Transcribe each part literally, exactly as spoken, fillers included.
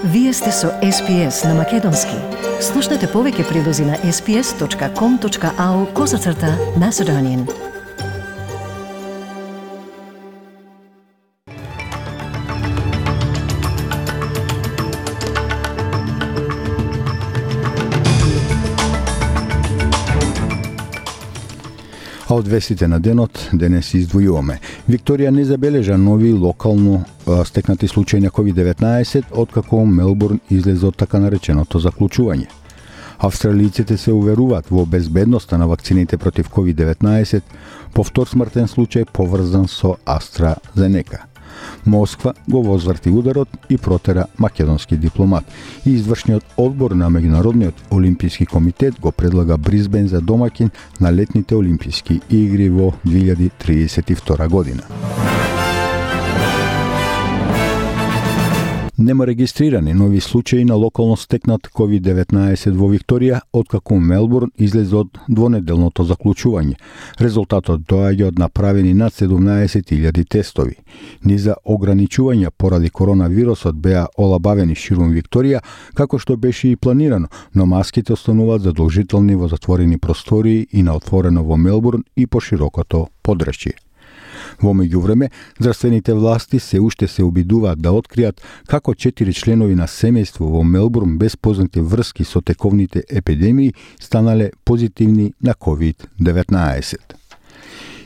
Вие сте со Ес Пи Ес на Македонски. Слушнете повеќе прилози на ес пи ес точка ком точка ау козацрта Macedonian. А од вестите на денот денес издвојуваме. Викторија не забележа нови локално а, стекнати случаи на ковид деветнаесет откако Мелбурн излезе од така нареченото заклучување. Австралиците се уверуваат во безбедноста на вакцините против ковид деветнаесет, по втор смртен случај поврзан со AstraZeneca. Москва го возврти ударот и протера македонски дипломат. И извршниот одбор на Меѓународниот олимписки комитет го предлага Брисбен за домаќин на летните олимписки игри во две илјади триесет и втора година. Нема регистрирани нови случаи на локално стекнат ковид деветнаесет во Викторија откако Мелбурн излезе од двонеделното заклучување. Резултатот доаѓа од направени над седумнаесет илјади тестови. Низа ограничувања поради коронавирусот беа олабавени ширум Викторија, како што беше и планирано, но маските остануваат задолжителни во затворени простории и на отворено во Мелбурн и по широкото подрачје. Во меѓувреме, здравствените власти се уште се обидуваат да откријат како четири членови на семејство во Мелбурн без познати врски со тековните епидемии станале позитивни на ковид деветнаесет.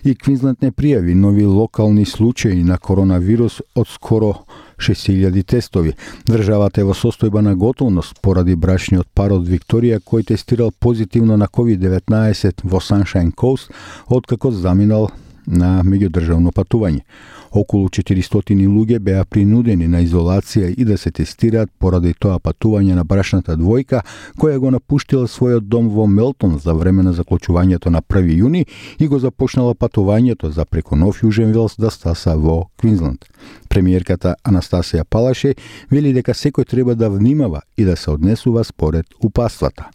И Квинсленд не пријави нови локални случаи на коронавирус од скоро шест илјади тестови. Државата е во состојба на готовност поради брачниот пар од Викторија кој тестирал позитивно на ковид деветнаесет во Sunshine Coast откако заминал на меѓудржавно патување. Околу четиристотини луѓе беа принудени на изолација и да се тестираат поради тоа патување на брачната двојка која го напуштила својот дом во Мелтон за време на заклучувањето на први јуни и го започнала патувањето за преку Нов Јужен Велс да стаса во Квинсленд. Премиерката Анастасија Палаше вели дека секој треба да внимава и да се однесува според упатствата.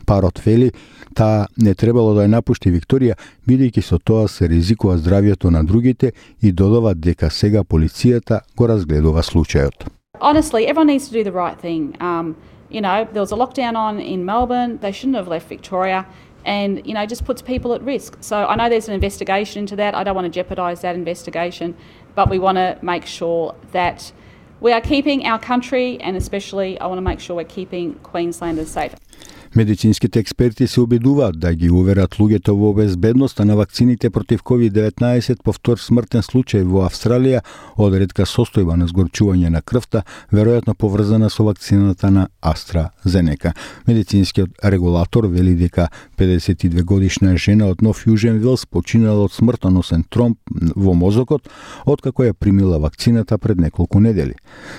Парот вели таа не требало да ја напушти Викторија, бидејќи со тоа се ризикува здравјето на другите и додава дека сега полицијата го разгледува случајот. Honestly, everyone needs to do the right thing. Um, you know, there was a lockdown on in Melbourne. They shouldn't have left Victoria. And, you know, just puts people at risk. So I know there's an investigation into that. I don't want to jeopardise that investigation. But we want to make sure that we are keeping our country, and especially I want to make sure we're keeping Queenslanders safe. Медицинските експерти се обидуваат да ги уверат луѓето во безбедноста на вакцините против ковид деветнаесет по втор смртен случај во Австралија од ретка состојба на згорчување на крвта, веројатно поврзана со вакцината на AstraZeneca. Медицинскиот регулатор вели дека педесет и две годишна жена од Нов Јужен Велс починала од смртоносен тромб во мозокот откако ја примила вакцината пред неколку недели.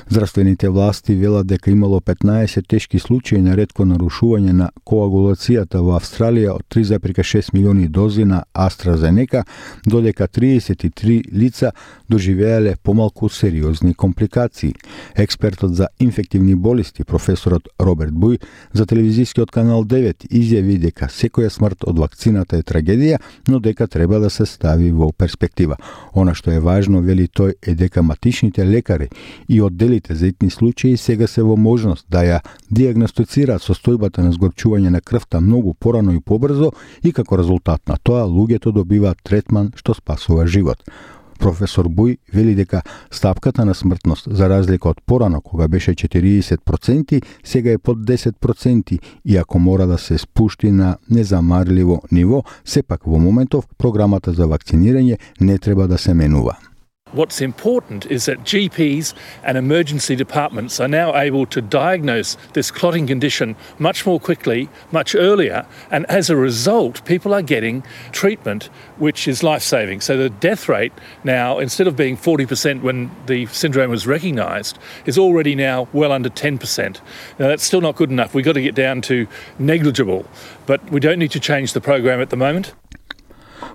Здравствените власти велат дека имало петнаесет тешки случаи на ретко нарушување на коагулацијата во Австралија од три зарез и шест милиони дози на AstraZeneca, додека триесет и три лица доживеале помалку сериозни компликации. Експертот за инфективни болести, професорот Роберт Буј, за телевизискиот канал девет изјави дека секоја смрт од вакцината е трагедија, но дека треба да се стави во перспектива. Она што е важно, вели тој, е дека матичните лекари и одделите за итни случаи сега се во можност да ја диагностицираат состојбата на згорчување на крвта многу порано и побрзо и како резултат на тоа луѓето добиваат третман што спасува живот. Професор Буј вели дека стапката на смртност, за разлика од порано кога беше четириесет проценти, сега е под десет проценти и ако мора да се спушти на незамарливо ниво, сепак во моментов програмата за вакцинирање не треба да се менува. What's important is that G Ps and emergency departments are now able to diagnose this clotting condition much more quickly, much earlier, and as a result, people are getting treatment which is life-saving. So the death rate now, instead of being forty percent when the syndrome was recognised, is already now well under ten percent. Now that's still not good enough. We've got to get down to negligible, but we don't need to change the program at the moment.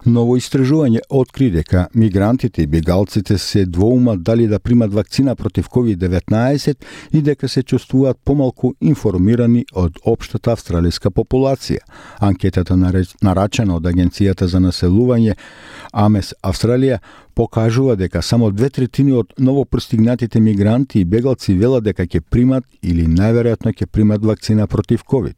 Ново истражување откри дека мигрантите и бегалците се двоумат дали да примат вакцина против ковид деветнаесет и дека се чувствуваат помалку информирани од општата австралиска популација. Анкетата нарачена од Агенцијата за населување Амес Австралија покажува дека само две третини од новопристигнатите мигранти и бегалци велат дека ќе примат или најверојатно ќе примат вакцина против ковид.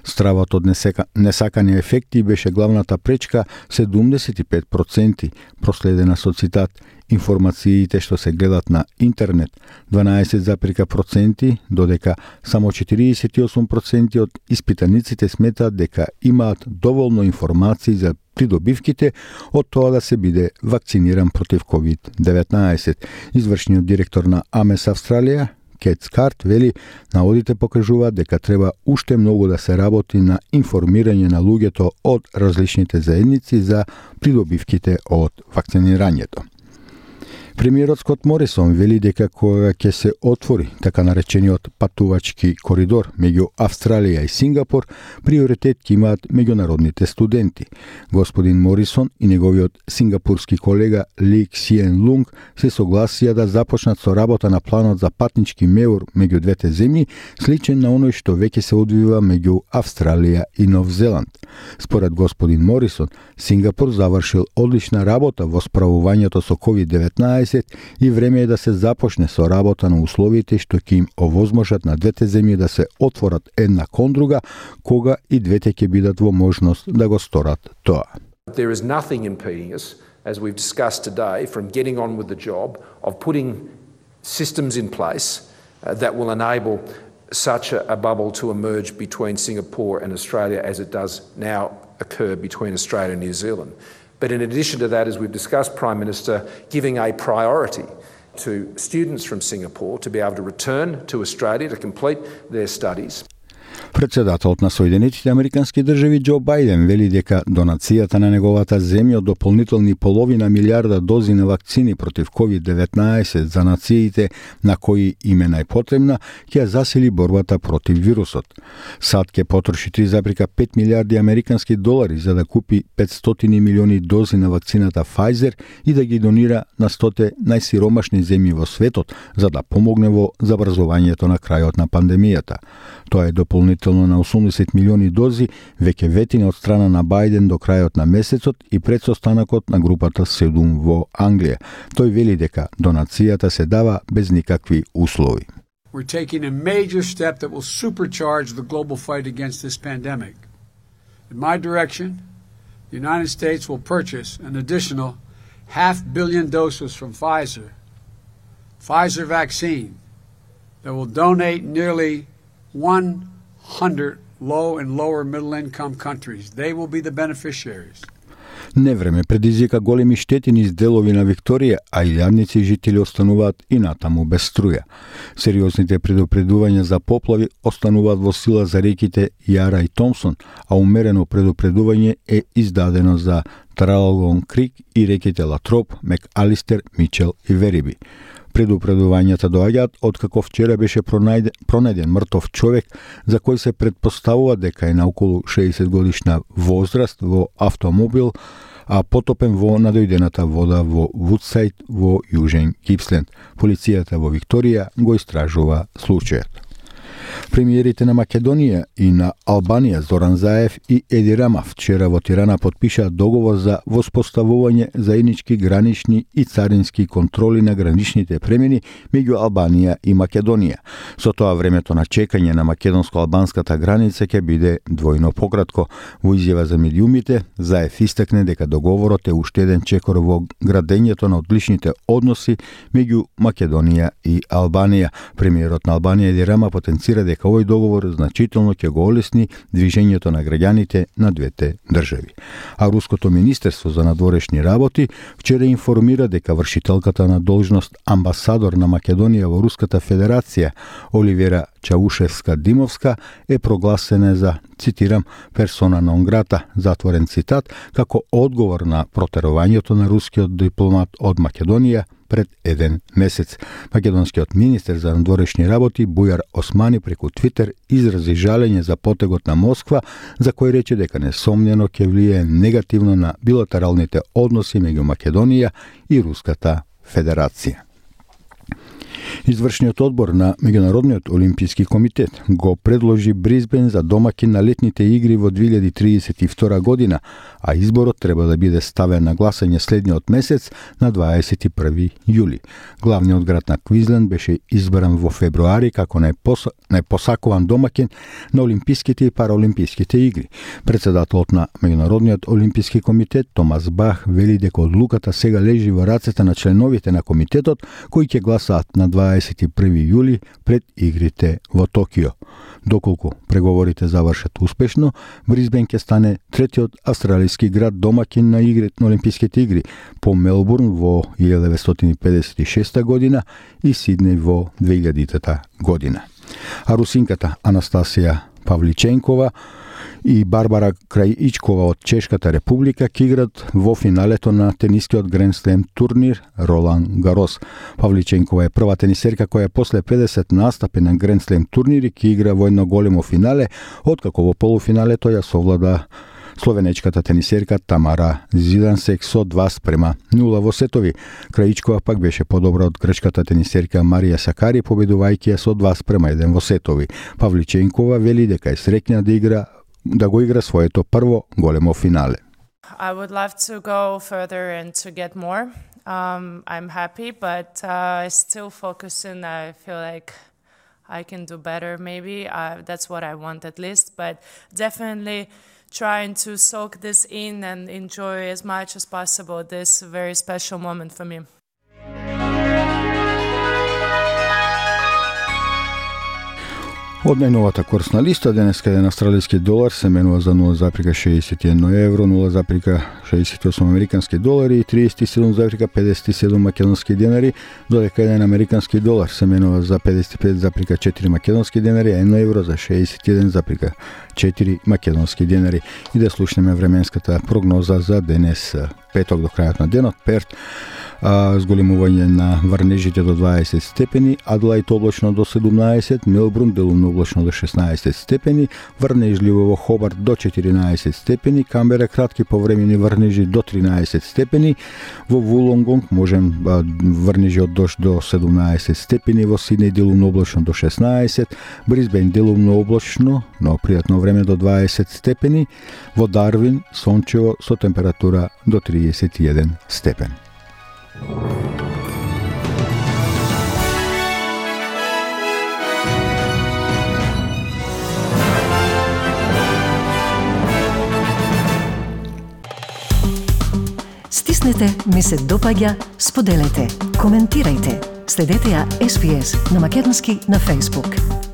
Стравот од несека, несакани ефекти беше главната пречка седумдесет и пет проценти, проследена со цитат информациите што се гледат на интернет дванаесет проценти, додека само четириесет и осум проценти од испитаниците сметаат дека имаат доволно информации за придобивките од тоа да се биде вакциниран против ковид деветнаесет. Извршниот директор на Амес Австралија Кет Скарт вели, наводите покажуваат дека треба уште многу да се работи на информирање на луѓето од различните заедници за придобивките од вакцинирањето. Премиерот Скот Морисон вели дека кога ќе се отвори така наречениот патувачки коридор меѓу Австралија и Сингапур, приоритет ќе имаат меѓународните студенти. Господин Морисон и неговиот сингапурски колега Ли Ксиен Лунг се согласија да започнат со работа на планот за патнички меур меѓу двете земји, сличен на оној што веќе се одвива меѓу Австралија и Нов Зеланд. Според господин Морисон, Сингапур завршил одлична работа во справувањето со ковид деветнаесет и време е да се започне со работа на условите што ќе им овозможат на двете земји да се отворат една кон друга, кога и двете ќе бидат во можност да го сторат тоа. There is nothing impeding us, as we've discussed today, from getting on with the job of putting systems in place uh, that will enable such a, a bubble to emerge between Singapore and Australia as it does now occur between Australia and New Zealand. But in addition to that, as we've discussed, Prime Minister, giving a priority to students from Singapore to be able to return to Australia to complete their studies. Председателот на Соединетите Американски држави Џо Бајден вели дека донацијата на неговата земја од дополнителни половина милиарда дози на вакцини против ковид деветнаесет за нациите на кои им е најпотребна ќе засили борбата против вирусот. САД ќе потроши три зарез и пет милиарди американски долари за да купи петстотини милиони дози на вакцината Pfizer и да ги донира на стоте најсиромашни земји во светот за да помогне во забрзувањето на крајот на пандемијата. Тоа е дополнително на осумдесет милиони дози, веќе ветина од страна на Бајден до крајот на месецот и пред состанокот на групата седум во Англија. Тој вели дека донацијата се дава без никакви услови. We're taking a major step that will supercharge the global fight against this pandemic. In my direction, the United States will purchase an additional half billion doses from Pfizer, Pfizer vaccine, that will donate nearly one hundred low and lower middle income countries. They will be the beneficiaries. Невреме предизвика големи штети низ делови на Викторија, а илјадници жители остануваат и натаму без струја. Сериозните предупредувања за поплави остануваат во сила за реките Јара и Томсон, а умерено предупредување е издадено за Траралгон Крик и реките Латроп, Мек-Алистер, Мичел и Вериби. Предупредувањата доаѓаат откако вчера беше пронајден, пронајден мртов човек за кој се претпоставува дека е на околу шеесет годишна возраст во автомобил, а потопен во надојдената вода во Вудсайд во Јужен Гипсленд. Полицијата во Викторија го истражува случајот. Премиерите на Македонија и на Албанија Зоран Заев и Еди Рама вчера во Тирана подпишаа договор за воспоставување заеднички гранични и царински контроли на граничните премини меѓу Албанија и Македонија. Со тоа времето на чекање на македонско-албанската граница ќе биде двојно пократко. Во изјава за медиумите, Заев истакне дека договорот е уште еден чекор во градењето на одличните односи меѓу Македонија и Албанија. Премиерот на Албанија Еди Рама потенцира дека овој договор значително ќе го олесни движењето на граѓаните на двете држави. А Руското министерство за надворешни работи вчера информира дека вршителката на должност амбасадор на Македонија во Руската Федерација Оливера Чаушевска-Димовска е прогласена за, цитирам, персона нон грата, затворен цитат, како одговор на протерувањето на рускиот дипломат од Македонија пред еден месец. Македонскиот министер за надворешни работи Бујар Османи преку Твитер изрази жалење за потегот на Москва, за кој рече дека несомнено ќе влијае негативно на билатералните односи меѓу Македонија и Руската Федерација. Извршниот одбор на Меѓународниот олимписки комитет го предложи Брисбен за домакин на летните игри во две илјади триесет и втора година, а изборот треба да биде ставен на гласање следниот месец на дваесет и први јули. Главниот град на Квизленд беше избран во февруари како најпос... најпосакуван домакин на олимписките и параолимписките игри. Председателот на Меѓународниот олимписки комитет Томас Бах вели дека одлуката сега лежи во рацете на членовите на комитетот кои ќе гласаат на дваесет и први јули пред игрите во Токио. Доколку преговорите завршат успешно, Брисбен ќе стане третиот австралиски град домакин на игрите на олимписките игри по Мелбурн во илјада деветстотини педесет и шеста година и Сиднеј во две илјадитата година. А русинката Анастасија Павличенкова и Барбара Крајичкова од Чешката република ќе играт во финалето на тенискиот Гранд Слем турнир Ролан Гарос. Павличенкова е прва тенисерка која после педесет настапи на Гранд Слем турнири ќе игра во едно големо финале, откако во полуфиналето ја совлада словенечката тенисерка Тамара Зидансек со два спрема нула во сетови. Крајичкова пак беше подобра од грчката тенисерка Марија Сакари, победувајќи ја со два спрема еден во сетови. Павличенкова вели дека е среќна да игра да го игра своето прво големо финале. I would love to go further and to get more. Um, I'm happy, but uh, still focusing. I feel like I can do better maybe. Uh, that's what I want at least, but definitely trying to soak this in and enjoy as much as possible this very special moment for me. Од најновата курсна листа, денеска еден австралиски долар се менува за нула зарез шеесет и едно евро, нула зарез шеесет и осум американски долари и триесет и седум зарез педесет и седум македонски денари, додека еден американски долар се менува за педесет и пет зарез четири македонски денари, а едно евро за шеесет и еден зарез четири македонски денари. И да слушнеме временската прогноза за денес, петок до крајот на денот. Перт а, зголемување на врнежите до дваесет степени, Адлаид облачно до седумнаесет, Мелбурн делумно облачно до шеснаесет степени, врнежливо во Хобарт до четиринаесет степени, Камбера кратки повремени врнежи до тринаесет степени, во Вулонгонг можем а, врнежи од дожд до седумнаесет степени, во Сиднеј делумно облачно до шеснаесет, Брисбен делумно облачно, но пријатно време до дваесет степени, во Дарвин сончево со температура до триесет и еден степен. Стиснете, ми се допаѓа, споделете, коментирајте. Следете ја Ес Би Ес на македонски на Facebook.